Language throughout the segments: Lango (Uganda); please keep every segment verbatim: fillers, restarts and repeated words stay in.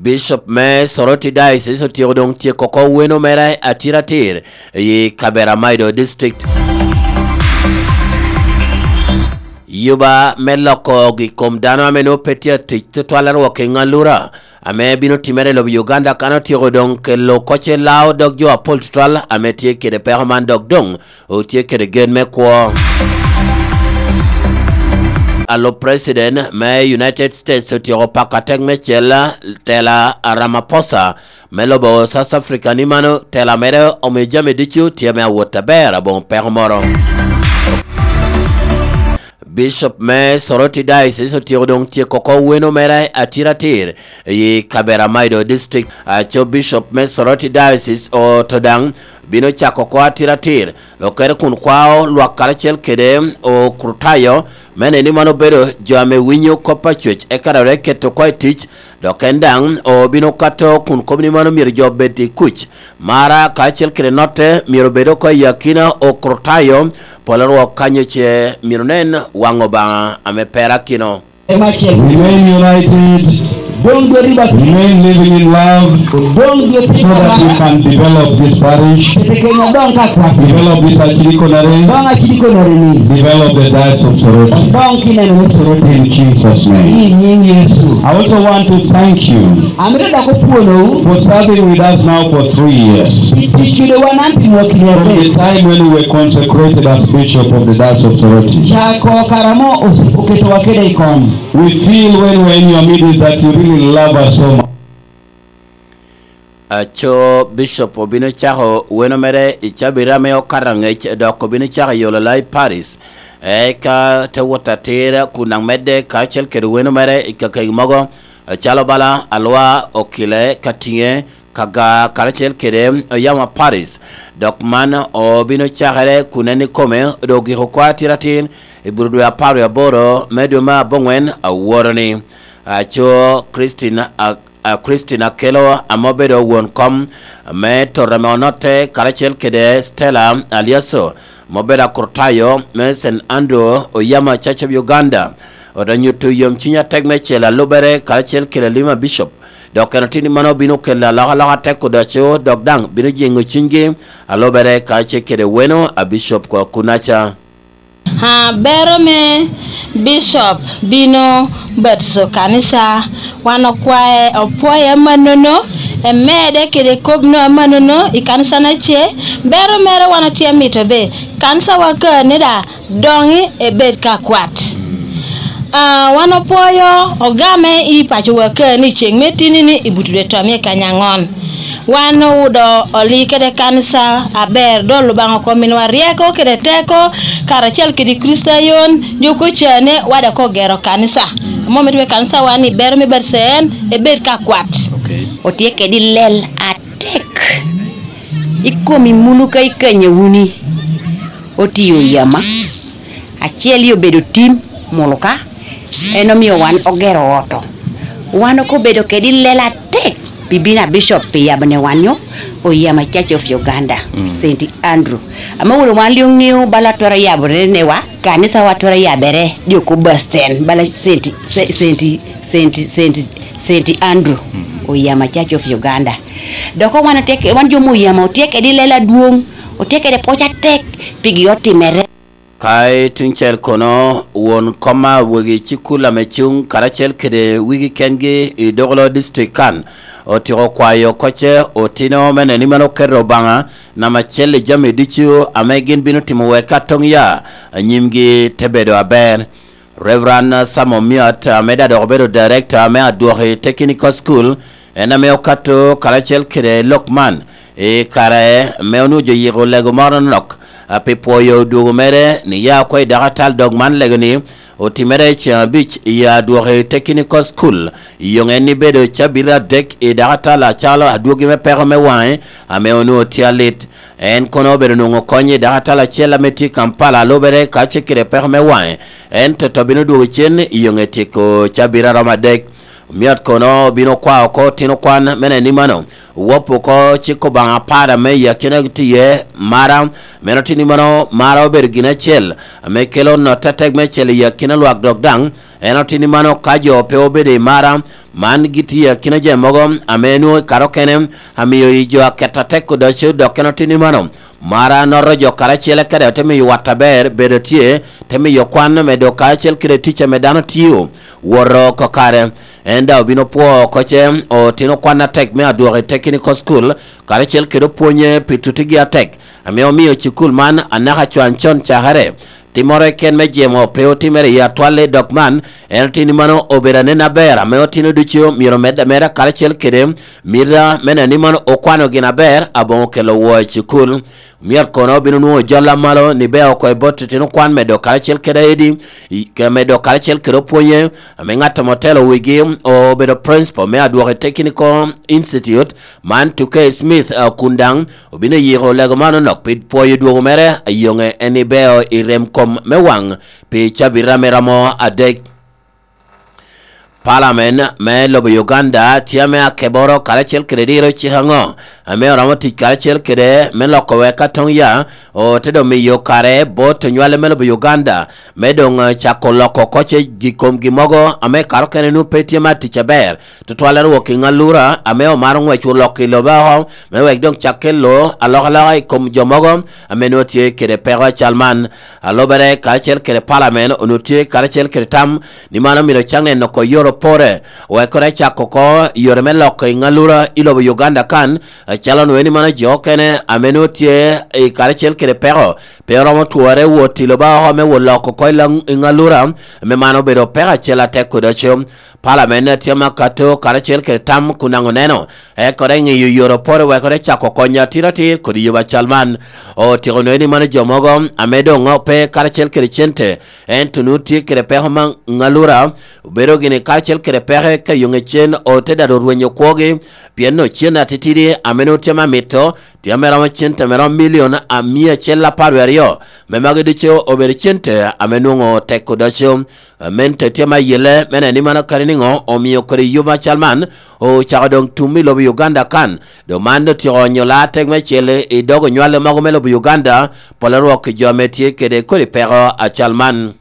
Bishop me Soroti Diocese otyeko doŋ tyeko oko weno mere atiratir i Kaberamaido District. Yuba me loko gik kom dano ame nwoŋo pe tye atic tutwal arwok i ŋalura ame bino timere i lobo Uganda kan otyeko doŋ kelo kocce lao dog jo apol tutwal ame tye kede peko man dok doŋ otye kede gen me kwo. Alup President me United States otyeko pako atek me cel tela a Ramaphosa me lobo South Africa ni mano tela mere omio jami ducu tye me awot aber aboŋo peko moro. Bishop me Soroti Diocese otyeko doŋ tyeko oko weno mere atiratir i Kaberamaido District. Aco Bishop me Soroti Diocese oto daŋ bino cako oko atiratir lokere kun kwao lwak karacel kede okrutayo me neni man obedo jo ame winyo kop a Cwec eka dok te keto oko i tic, dok en daŋ obino kato kun kop ni mano myero jo obed i kuc. Mara kacel kede notte myero obed oko i akina okrutayo, pol arwok kanyo ce myero nen waŋ Obaŋa ame perakino. Remain united. Doŋ dwe riba. Remain living in love. Doŋ dwe so that we can develop this parish. Kete kenya doŋ ka kwat. Develop this archdeaconry. Doŋ archdeaconry ni. Develop the diocese of Soroti. Doŋ kineno me Soroti. In Jesus' name. I nyiŋ Yecu. I also want to thank you. Amito dok opwonowu. For serving with us now for three years. Tic kede wan an pi mwakki ni adek. From the time when we were consecrated as bishop of the diocese of Soroti. Cako kare amo oketowa kede i kom. We feel when we're in your midst that you really love us so much. Aco Bishop obino cako weno mere i cabira me okato angec dok obino cako yolo lai Paris. Eka te wot atira kun daŋ medde karacel kede weno mere i kakegi mogo, calo bala alwa okile ka tiŋe kaga karacel kede oyamo Paris. Dok man obino cakere kun en ikome doŋ ogiko oko atiratir i bur dwe apar wie aboro me dwe me aboŋwen aworo-ni. Aco Christine a, a Christine Akelo ame obedo won kom me tota ame onotte karacel kede Stella Aliaso ame obedo akrutayo me Saint Andrew Oyama Church of Uganda, ote nyuto yomcuny atek me celo alubere karacel kede Lima Bishop, dok en otini mano bino kelo alokaloka atek odoco dok daŋ bino jeŋo cunygi alubere karacel kede weno a Bishop ko kunaca. Ah, bero me Bishop bino batiso kanisa, wan okwae, opwoye amannono, emede kede kop no amannono i kanisa na ce. Bero mere wan otye mito be kanisa wa ka neda doŋi ebed ka kwat. Ah, wan opwoyo ogame i paco wa ka ni ceŋ me tini ni i buto dwe tomie kanya ŋon. Wan owudo oli kede kanisa aber, dol Lubanga oko miniwa ryeko kede teko, karacel kede Kricitayon, jo kocane wada ko gero kanisa. Amo mito me kanisa wan ni bero me batiso en ebed ka kwat. Okay. Otye kede lel atek. I komi munu ka ikanyo wuni. Otiyo yama. Acel i obedo tim, muluka, en omio wan ogero oto. Wan oko obedo kede lela atek pi bino a Bishop pi yabo ne wan yo Oyama Church of Uganda, Saint Andrew. Ame wun wan lio ŋeo bala twero yabo ne wa, kanisa wa twero yabere, jo ko Basten, bala Saint, Saint, Saint, Saint, Saint Andrew, Oyama Church of Uganda. Dok wan otye ke-, wan jo me Oyama otye kede lela adwoŋ, otye kede pwoc atek, pigi otimere. Ka i tuŋ cel kono, won kom a wegi cukul ame cuŋ karacel kede wigi kengi i Dogolo District kan, otyeko kwayo kocce otino me neno ni mano oketo Obaŋa namba acel i jami ducu ame gin bino timo wek ka toŋ ya nyimgi te bedo aber. Reverend Sam Omiot, ame daŋ dok obedo Director me Adwoki Technical School, en ame okato karacel kede lok man i kare me onwoŋo jo yiko lego moro nok, a, pi pwoyo odwogo mere ni ya oko i dakatal dog man lego ni otimere i ceŋ abic i Adwoki Technical School, i yoŋ en ni bedo cabit adek i dakatal acalo adwogi me peko me waŋe ame onwoŋo tye alit. En kono obedo nwoŋo kony i dakatal acel ame tye i Kampala, lubere ka ce kede peko me waŋe, ento to bino dwogo cen i yoŋe tyeko cabit aromo adek. Omiot kono obino kwao oko otino kwan me neno ni mano wop oko cik Obaŋa apar ame i akina tye iye mara, meno tye ni mano mara obedo gin acel ame kelo notte atek me cel i akina lwak dok daŋ En otini mano ka jo pe obedo i mara, man gitye akina jami mogo ame nwoŋo i kare okene amio i jo aketo atek odoco, dok en otini mano mara noto jo karacel kede te miyo wat aber bedo tye, te miyo kwan medo karacel kede tic ame dano tio woto kakare. En daŋ obino pwo oko ce, otino kwan atek me adwoko i technical school, karacel kede opwonye pi tutigi atek, ame omio cukul man anaka cwan con cakere. Timmoro keken me jemo pe otimere i atwal i dog man, en otini mano obedo anen aber, ame otino ducu myero med ameda karacel kede mita me neno ni mano okwano gin aber aboŋo kelo woo i cukul. Myero kono obino nwoŋo jol amalo ni bea oko i bot titino kwan medo karacel kede aedi, i- ke medo karacel kede opwonye, ame ŋat ame otelo wigi obedo principal me adwoko i Technical Institute man Tukey Smith, eh, kun daŋ obino yiko lego man onok pi pwoyo dwogo mere, ayoŋe en ni beo i rem kom me waŋ pi cabita me romo adek. Palamen me lobo Uganda tye ame akeboro karacel kede diro cik aŋo ame oromo tic karacel kede me loko wek atoŋ ya ote doŋ miyo kare bot onywale me lobo Uganda me doŋ, eh, cako loko koce gi komgi mogo ame kare okene nwoŋo pe tye ma tic aber, tutwal arwok i ŋalura ame omaro ŋwec olok i lobo oko, me wek doŋ cak kelo alokaloka i kom jo mogo ame nwoŋo tye kede peko acal man. Alobere karacel kede palamen onwoŋo tye karacel kede tam ni mano myero cak neno oko yore opore, wek kono ecak oko yore me loko i ŋalura i lobo Uganda kan, acalo nwoŋo ni mano jo okene ame nwoŋo tye i karacel kede peko, pe oromo twore wot i lobo oko me wot loko oko i laŋ- i ŋalura, ame mano obedo peko acel atek kodi aco. Palamen tye ma kato karacel kede tam kun daŋ oneno, eka ore ŋiyo yore opore wek ore cako konyo atir atir kodi yubo acal man. Otyeko nwoŋo ni mano jo mogo ame doŋ pe karacel kede cente, ento nwoŋo tye kede peko ma ŋalura obedo gini karacel kede peke ka yoŋe cen ote dado rwenyo kwogi, pien nwoŋo cen atitidi ame nwoŋo tye ma mito tye ame romo cente ame romo milion a mia acel apar wie aryo, me magi ducu obedo cente ame nwoŋo tek odoco. Amente tye ma yelle me neno ni mano kadi niŋo omio kodi yub acal man ocako doŋ tum i lobo Uganda kan, dok man otyeko onyo laa tek me cel i dog onywale mogo me lobo Uganda, pol arwok i jo ame tye kede kodi peko acal man.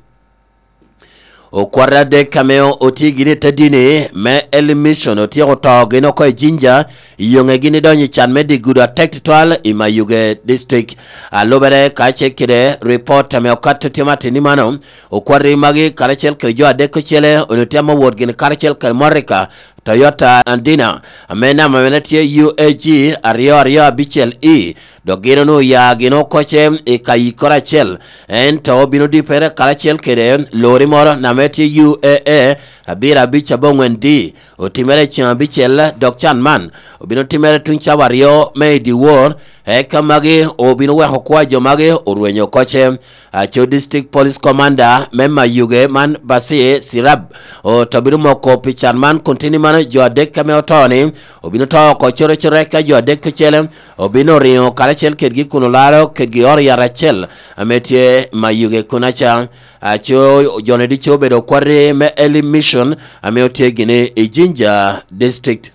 Okwat adek ame otye gini i te dini me Elim Mission otyeko to gin oko i Jinja, i yoŋe gin idonyo i can me dye gudo atek tutwal i Mayuge District. Alubere ka ce kede ripot ame okato tye ma tini mano, okwat magi karacel kede jo adek ocele onwoŋo tye ame owot gini karacel kede motoka Toyota Andina, ame namba mene tye U A G aryo aryo abicel E, dok gin onwoŋo oya gin okoce i ka yikkoro acel, ento obino dippere karacel kede lori moro name tye U A A abiro abic aboŋwen D. Otimere i ceŋ abicel, dok can man obino timere tuŋ cawa aryo me i dyewor, eka magi obino weko kwo a jo magi orwenyo okoce. Aco District Police Commander me Mayuge man Basir Sirab oto bino moko pi can man kun tini mano jo adek ame oto ni obino to oko coro coro, eka jo adek ocele obino riŋo karacel kedgi kun olaro kedgi oro yat acel ame tye Mayuge kun aca. Aco joni ducu obedo okwati me Elim Mission ame otye gini i Jinja District.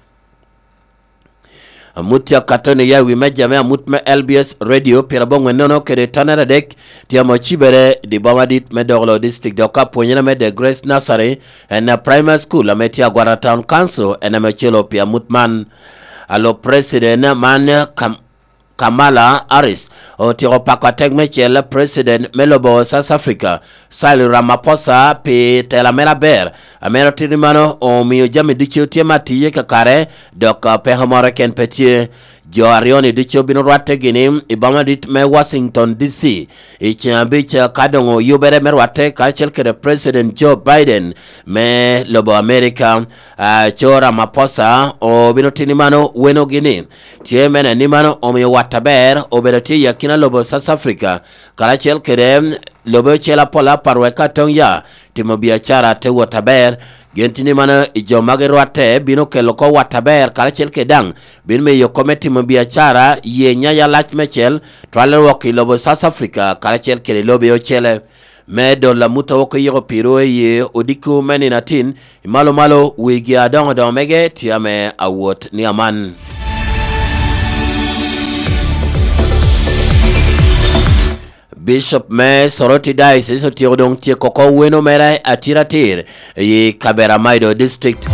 Amut tye akato ni ya i wi meja me amut me L B S Radio pyeradek nono kede tonere adek tye ame ocibere i di boma dit me Dogolo District, dok apwonyere me The Grace Nursery and Primary School ame tye Agwata Town Council en ame ocelo pi amut man. Alo President man Kam- Kamala Harris otyeko pako atek me cel President me lobo South Africa, Cyril Ramaphosa, pi tela mere aber, ame otito mano omio jami ducu tye ma tiye kakare, dok, ah, peko moro keken pe tye. Jo aryo-ni ducu bino rwatte gini i boma dit me Washington D C i ceŋ abic, ah, ka doŋ oyubere me rwatte karacel kede President Joe Biden me lobo America. Ah, co Ramaphosa obino tini mano weno gini tye me neno ni mano omio wat aber obedo tye i akina lobo South Africa karacel kede lobe ocel apol apar wek ka toŋ ya timo biacara te wot aber. Gin tini mano i jo ma girwatte bino kelo oko wat aber karacel kede daŋ bino miyo kome timo biacara ye nyaya lac mecel twale rwok i lobo South Africa karacel kede lobe ocele. Me dolo amut a wok oyiko piro i odiko me nino atin, i malo malo wigi adoŋo doŋo mege tye ame awot ni aman. Bishop me Soroti Diocese otyeko doŋ tyeko oko weno mere atiratir i Kaberamaido District.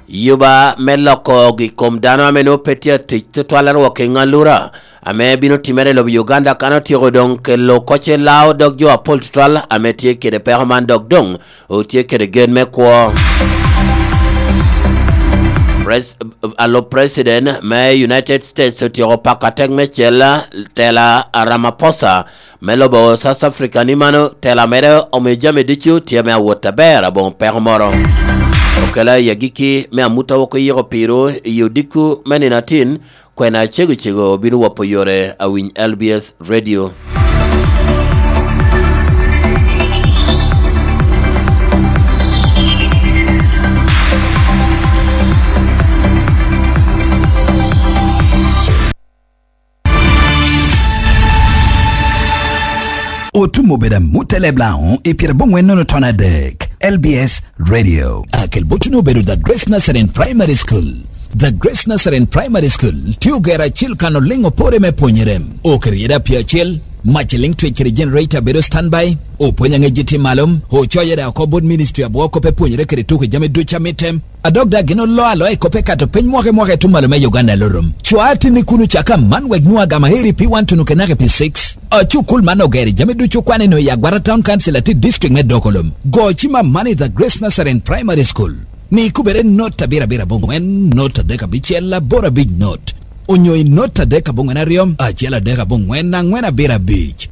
Yuba me loko gik kom dano ame nwoŋo pe tye atic tutwal arwok i ŋalura ame bino timere i lobo Uganda kan otyeko doŋ kelo kocce lao dog jo apol tutwal ame tye kede peko man dok doŋ otye kede gen me kwo. Pres-, Alop President me United States otyeko pako atek me cel tela a Ramaphosa me lobo South Africa ni mano tela mere omiyo jami ducu tye me awot aber aboŋo peko moro. Okela i agikki me amut a wok oyiko piro i odiko me nino atin, kwena cego cego bino wopo yore awiny L B S Radio. Otum obedo amut eleb Laŋo i pyerabongwen nono ton adek, L B S Radio. Akel botuni obedo The Grace Nazarene Primary School. The Grace Nazarene Primary School tye ogero acil kan oliŋ opore me pwonyere. Oketo yede apia acel, mac eliŋ twec kede generator bedo standby, opwony aŋec tye malo, ocoyo yede oko bot ministry abwo kop epwonyere kede tuko jami ducu amitte. A dok daŋ gin oloo aloa i kop ekato piny mwaka i mwaka i tuŋ malo me Uganda Lurum. Cwa atinni kun ocak aman wek nwoŋo agama heri P one tuno kenaka i P six. Acukul man ogero i jami ducu okwane no i Agwata Town Council atir district me Dokolom. Go cim aman i The Grace Nazarene Primary School. Ni kubere not abiro abiro abongwen, not adek abicel, aboro abic not. Onyo i not adek abongwen aryo, acel adek abongwen, angwen abiro abic.